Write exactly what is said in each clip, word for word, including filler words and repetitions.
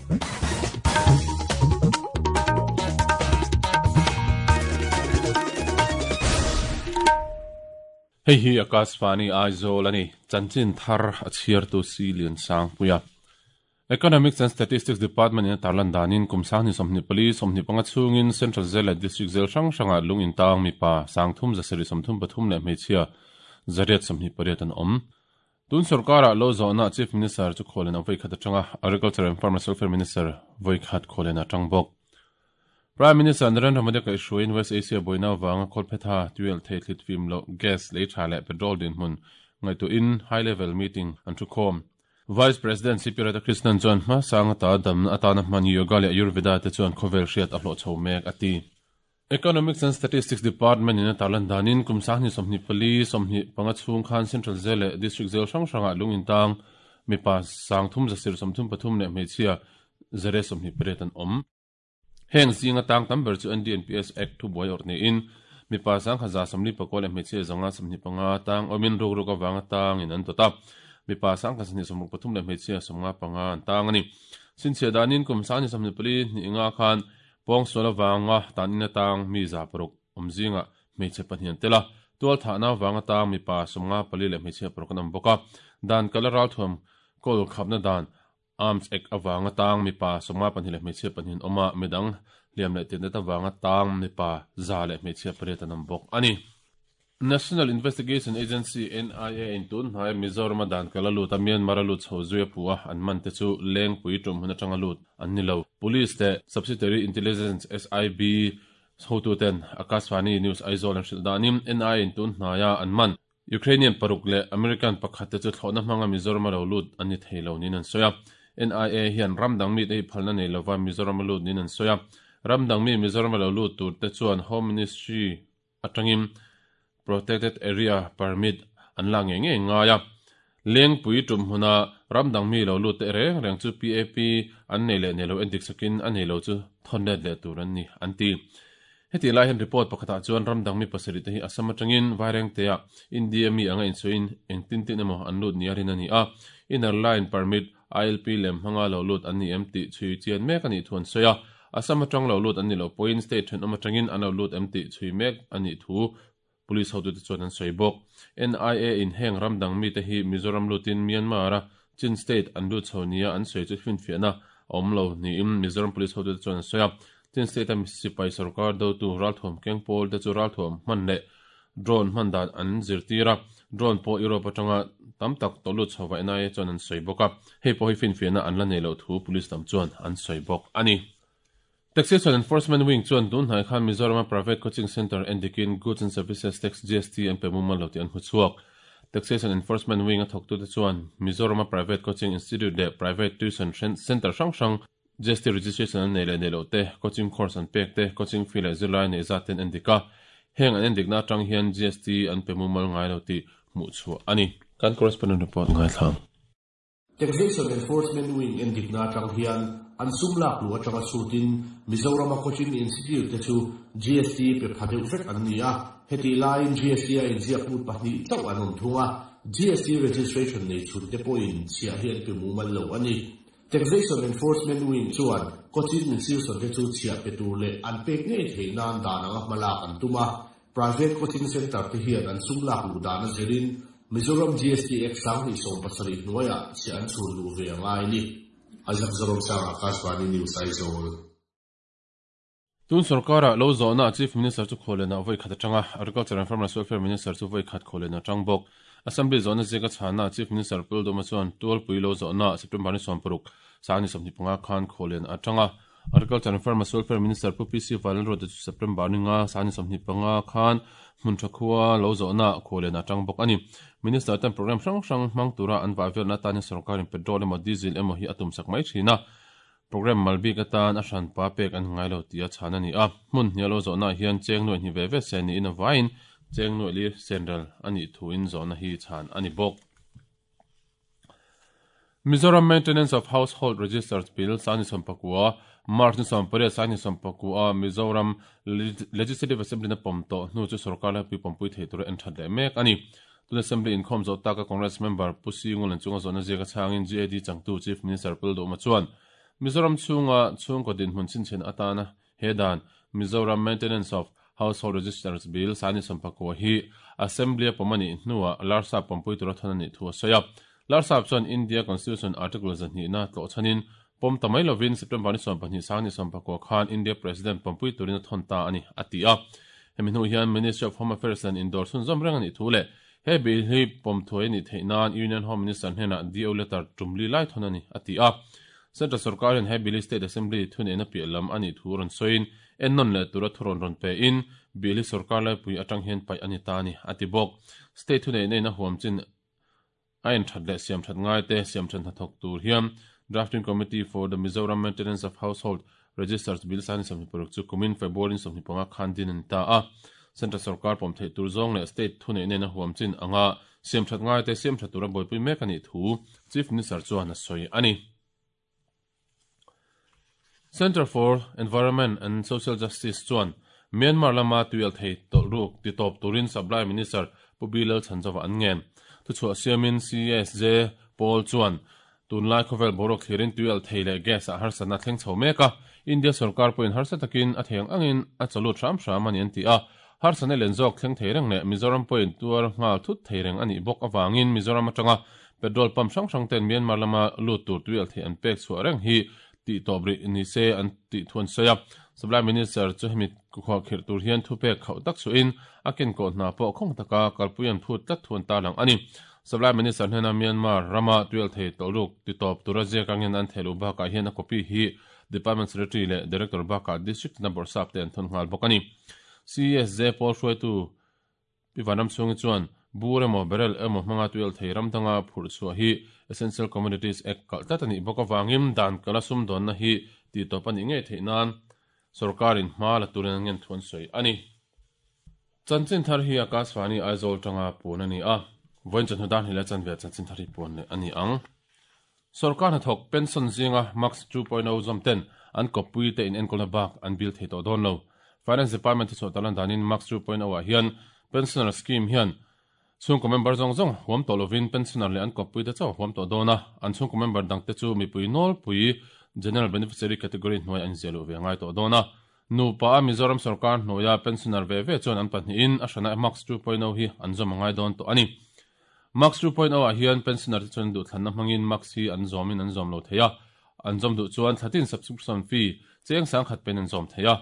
Hei hi Akashvani Aizawl ani chanchin thar a chhiar tu si lian sang puia. Economics and Statistics Department in tarlan danin kumsang ni somni pali somni panga chungin Central Jail leh District Jail hrang hranga lung in tang mipa sangthum zasari somthum pathum leh hmeichhia zariat somni pariat an awm. Tun sarkara lo zawhna Chief Minister chu khawlen a vawi khat atanga Agriculture and Farmers Welfare Minister vawi khat khawlen atang bawk. Prime Minister Narendra Modi ka hruaiin West Asia boina wanga kholphetha tuel theithlit fim lo gas lei tha leh petrol din hmun ngaihtuahin high level meeting an thu khawm. Vice President C P Radhakrishnan chuan hma sanga ta dam atana hman yoga leh Ayurveda te chuan khawvel hriat a hlawh chho mek a ti. Economics and Statistics Department in a tarlan danin kumsang ni somni pali somni panga chung khan Central Jail leh District Jail hrang hranga lung in tang mipa sangthum zasir somthum pathum leh hmeichhia zare somni pariat an awm. Heng zinga tang tam ber chu N D N P S Act thu buai awrh niin mipa sang khaza samli pakua leh hmeichhia zanga samhni panga tang awmin ruk ruk awanga tang in an tawt a. Mipa sang kha sahnih sawmruk pathum leh hmeichhia sawmnga panga an tang ani. Sinchhia danin kum sang ni sawmhnih pali hnih nga khan pawng sual awanga tan in atang mi za paruk awm zinga hmeichhe pahnih an tel a. Tual thahna awanga tang mipa sawmnga pali leh hmeichhia paruk an awm bawk a. Dan kala ral thuam kawl khapna dan Arms Act awanga tang mipa sawmnga pahnih leh hmeichhia pahnih an awm a, midang hliam leh tinna awanga tang mipa za leh hmeichhia pariat an awm bawk ani. National Investigation Agency N I A in tun hnai Mizoram dan kala lut a Myanmar a lut chho zui a pu a an man te chu lengpui tum hun atanga lut an ni lo. Police te Subsidiary Intelligence S I B hotu ten Akashvani News Aizawl an hrilh danin N I A in tun hnaia an man Ukrainian paruk leh American pakhat te chu thlawhna hmanga Mizoram a lo lut an ni thei lo nin an sawi a. N I A hian ramdang mi te hi phalna nei lova Mizoram a lut nin an sawi a. Ramdang mi Mizoram a lo lut tur te chuan Home Ministry atangin Protected Area Permit an la nge nge ngai a. Lengpui tum huna ramdang mi lo lut te reng reng chu P A P an nei leh nei lo endik sakin a nei lo chu thawn let leh tur an ni an ti. Heti lai hian report pakhatah chuan ramdang mi pasarih te hi Assam atangin Vaireng te ah India mi anga insawiin eng tin tin emaw an lut ni a rin a ni a. Inner Line Permit I L P lem hmanga lo lut an ni em tih chhui chian mek a nih thu an sawi a. Assam atang lo lut an ni lo pawhin state thenawm atangin an lo lut em tih chhui mek a nih thu police hotu te chuan an sawi bawk. N I A in heng ramdang mi te hi Mizoram lutin Myanmar a Chin state an lut chho nia an sawi chu finfiahna a awm lo niin Mizoram police hotu te chuan an sawi a. Chin state a sipai sarkar dotu ralthuam keng pawl te chu ralthuam hman leh drone hman dan an zirtir a. Drone pawh Europe atanga tam tak tawh lut chhowa N I A chuan an sawi bawk a. Hei pawh hi finfiahna an la nei lo thu police lam chuan an sawi bawk ani. Taxation Enforcement Wing chuan tun hnai khan Mizoram a private coaching center endikin Goods and Services Tax G S T an pe mumal lo tih an hmu chhuak. Taxation Enforcement Wing a thawktu te chuan Mizoram a private coaching institute leh private tuition center hrang hrang G S T registration an nei leh nei lo te, coaching course an pek te, coaching fee leh zirlai nei zat ten endik a. Heng an endikna atang hian G S T an pe mumal ngai lo tih hmuh chhuah ani. Kan correspondent report ngai thlang. Taxation Enforcement Wing endikna atang hian an sum lak lu atanga sutin Mizoram a coaching institute te chu G S T pe phadeuh vek an ni a. Heti laiin G S T a inziak lut pahnih chauh an awm thung a. G S T registration nei chhun te pawhin chhiah hi an pe mumal lo ani. Taxation Enforcement Wing chuan coaching institution te chu chhiah pe tur leh an pek ngei thei nan dan anga hmalak an tum a. Private coaching center te hian an sum lak lu dan a zirin Mizoram G S T Act sang hnih sawm pasarih hnuaiah chhiah an chhun luh ve angai ni. Isaac Zorom Sang Akashvani News Aizawl. Tun sarkara lo zawhna Chief Minister chu khawlena vawi khat atanga Agriculture and Farmers Welfare Minister chu vawi khat khawlena atang bawk. Assembly zawhna zika chhana Chief Minister Puldoma chuan tualpui lo zawhna September ni sawm paruk sang ni sawmhnih panga khan khawlen atanga Agriculture and Farmers Welfare Minister Pu P C Vanlalruata chu September ni nga sang ni sawmhnih panga khan hmun tha khua lo zawhna khawlen atang bawk ani. Minister ten program hrang hrang hmang tura an vai velna tan sarkarin petrol emaw diesel emaw hi atum sak mai thina. Program malbi ka tan a hran pa pek an ngai lo tia chhan ani a. Hmun hnia lo zawhna hian cheng nuai hni ve ve se ni in a vain cheng nuai li senral ani thu in zawhna hi chhan ani bawk. Mizoram Maintenance of Household Registers Bill sani sampakua March ni sampariat sani sampakua Mizoram Legislative Assembly na pom to hnu chu sarkar la pi pompui thei tur en that le mek ani. Tun Assembly in khom zo taka Congress member Pusi Ngulan chunga zawhna zia ka changin G A D changtu Chief Minister Puldoma chuan Mizoram chunga chhungkaw dinhmun chhinchhiahna atana he dan Mizoram Maintenance of Household Registers Bill sangni sawmpakua hi Assembly a pawm a nih hnuah Larsap pawmpui tura thawn a nih thu a sawi a. Larsap chuan India Constitution Article zahnihna tlawh chhanin pawm ta mai lovin September ni sawmpahnih sangni sawmpakua khan India President pawmpui turin a thawn ta a ni, a ti a. Hemi hnu hian Ministry of Home Affairs an indawr chhunzawm reng a nih thu leh he bill hi pawm thuai a nih theih nan Union Home Minister hnenah D O letter tumli lai thawn a ni, a ti a. Central Sarkar hian he bill hi State Assembly thuneihna piah lam a nih thu rawn sawiin ennawn leh tura thu rawn rawn pe in bill hi sarkar laipui atang hian paih a ni ta a ni, a ti bawk. State thuneihna in a huam chin a inthat leh siam that ngai te siam that hnathawk tur hian Drafting Committee for the Mizoram Maintenance of Household Registers Bill sangni sawmhnih paruk chu kumin February sawmhnih panga khan din a ni ta a. Central Sarkar pawm theih tur zawng leh State thuneihna in a huam chin anga siam that ngai te siam that tura buaipui mek a nih thu Chief Minister chuan a sawi a ni. Centre for Environment and Social Justice chuan Myanmar lama tuial thei tawlh ruk ti tawp turin Supply Minister Pu Bilal Chhanzova an ngen. Thuchhuah siamin C S J Pawl chuan tunlai khawvel boruak thlirin tuial thei leh gas ah harsatna thleng chho mek a, India sarkar pawhin harsa takin a thei ang angin a chawlut hram hram a ni an ti a. Harsatna len zawk thleng thei reng leh Mizoram pawhin tuar nghal thut thei reng a nih bawk avangin Mizoram atanga petrol pump hrang hrang ten Myanmar lama lut tur tuial thei an pek chhuah reng hi ti tawp rih ni se an tih thu an sawi a. Supply Minister chu hemi khuah khirh tur hian thu pek khauh tak chuin a ken kawh hna pawh khawng taka kalpui an phut tlat thu an tarlang a ni. Supply Minister hnena Myanmar rama tuial thei tawlh ruk ti tawp tura ziak angin an thei lo bakah hian a copy hi Department Secretary leh Director bakah District na bawrhsap te an thawn nghal bawk a ni. C S J Pawl hruaitu Pi Vanram chhungi chuan bur emaw barrel emaw hmanga tuial thei ram danga phurh chhuah hi Essential Commodities Act kalh tlat a nih bawk avangin dan kala sum dawnna hi ti tawp a nih ngei theih nan sarkarin hma la turin an ngen thu an sawi a ni. Chanchin thar hi Akashvani Aizawl tanga puan a ni a, vawiin chawhnu dan hi la chan ve chanchin thar hi puan leh a ni ang. Sarkar hnathawk pension zinga Max two point oh zawm ten an kawppui te in enkawlna bak an bill thei tawh dawn lo. Finance Department thuchhuah talan danin Max two point oh ah hian pensioner scheme hian chhungkaw member zawng zawng huam tawh lovin pensioner leh an kawppui te chauh huam tawh dawn a, an chhungkaw member dang te chu mipui nawlpui general beneficiary category hnuai an ziah luh ve ngai tawh dawn a. Nupa a Mizoram sarkar hnuaia pensioner ve ve chuan an pahnihin a hrana Max two point oh hi an zawm a ngai dawn tawh a ni. Max two point oh ah hian pensioner te chuan duhthlanna hmangin Max hi an zawmin an zawm lo thei a, an zawm duh chuan thlatin subscription fee cheng sang khat pen an zawm thei a.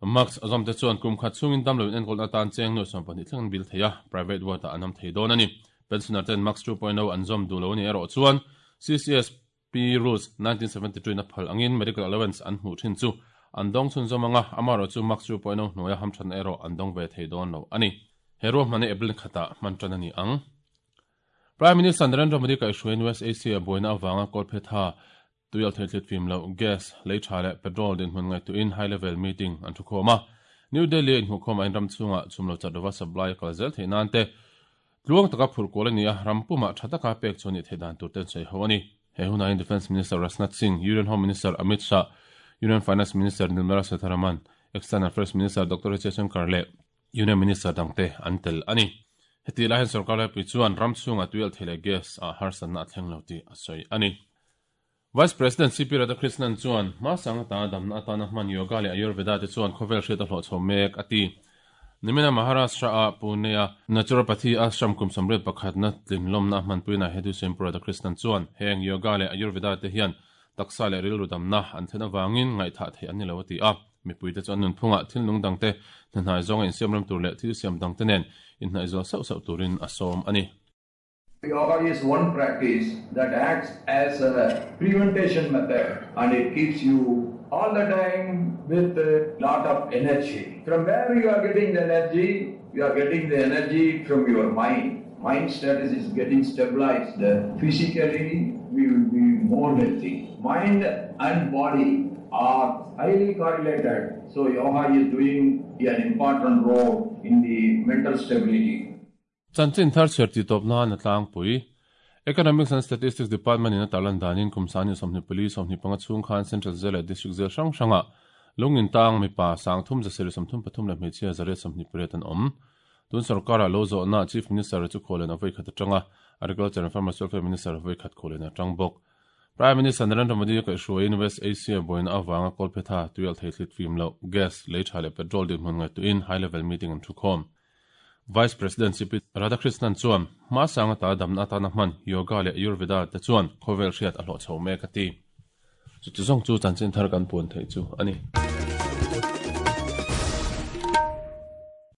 Max zawm te chuan kum khat chungin dam loin enkawlna atan cheng nuai sawm pahnih thleng an bil thei a, private ward ah an awm thei dawn a ni. Pensioner ten Max two point oh an zawm duh lo a ni erawh chuan C C S P Rules nineteen seventy two in a phal angin medical allowance an hmuh thin chu an dawng chhun zawm anga, amaherawh chu Max two point oh hnuaia hamthatna erawh an dawng ve thei dawn lo a ni. He ruahmana April khatah hman tan a ni ang. Prime Minister Narendra Modi kaihhruaiin West Asia buaina avanga kawlphetha tuial thei thlit fim lo gas, leitha leh petrol dinhmun ngaihtuhin high level meeting an thu khawm a. New Delhi a inhmuh khawm a inram chhungah chhum lo chat lova supply a kal zel theih nan te tluang taka phurh kual a ni a, ram pumah tha taka pek chu ni theih dan tur ten sawi ho a ni. He hunain Defence Minister Rajnath Singh, Union Home Minister Amit Shah, Union Finance Minister Nirmala Sitharaman, External Affairs Minister Doctor H Shankar leh Union Minister dangte an tel a ni. Heti lai hian sarkar laipui chuan ram chhungah tuial thei leh gas a harsatna a thleng lo tih a sawi a ni. Vice President C P Radhakrishnan chuan hma sang ata damna atana hman yoga leh Ayurveda te chuan khawvel hriat a hlawh chho mek a ti. Nimina Maharashtra a Pune a Naturopathy ashram kum samriat pakhatna tlinlawmna a hmanpuina hedu siam Pu Radhakrishnan chuan heng yoga leh Ayurveda te hian taksa leh rilru damna an thlen awangin ngaihthah theih an ni lo a ti a. Mipui te chuan nunphungah thil nung dang te hnahnai zawnga insiam ram tur leh thil siam dang te nen inhnaih zual sauh sauh turin a sawm a ni. Yoga is one practice that acts as a prevention method and it keeps you all the time with a lot of energy. From where you are getting the energy? You are getting the energy from your mind. Mind status is getting stabilized. Physically, we will be more healthy. Mind and body are highly correlated. So yoga is doing an important role in the mental stability. Chanchin thar chher ti top na na tlang pui. Economics and Statistics Department in a tarlan danin kumsani somni police somni panga chung khan Central Jail leh District Jail hrang hranga lungin tang mi pa sang thum zaseri somthum pathum leh hmeichhia zariat somni pariat an awm. Tun sarkara lo zawh na Chief Minister chu khawlen a voi khat atanga Agriculture and Farmers Welfare Minister voi khat khawlen atang bawk. Prime Minister Narendra Modi ka hruaiin West Asia boina awanga kolphetha tuial theithlit fim lo gas leitha le petrol din hmun ngai tuin high level meeting an thukhom. Vice President C P Radhakrishnan chuan ma sanga ta damna ta na hman yoga le Ayurveda te chuan khovel hriat a hlo chho me ka ti. Chu chu zong chu chanchin thar kan puan thei chu ani.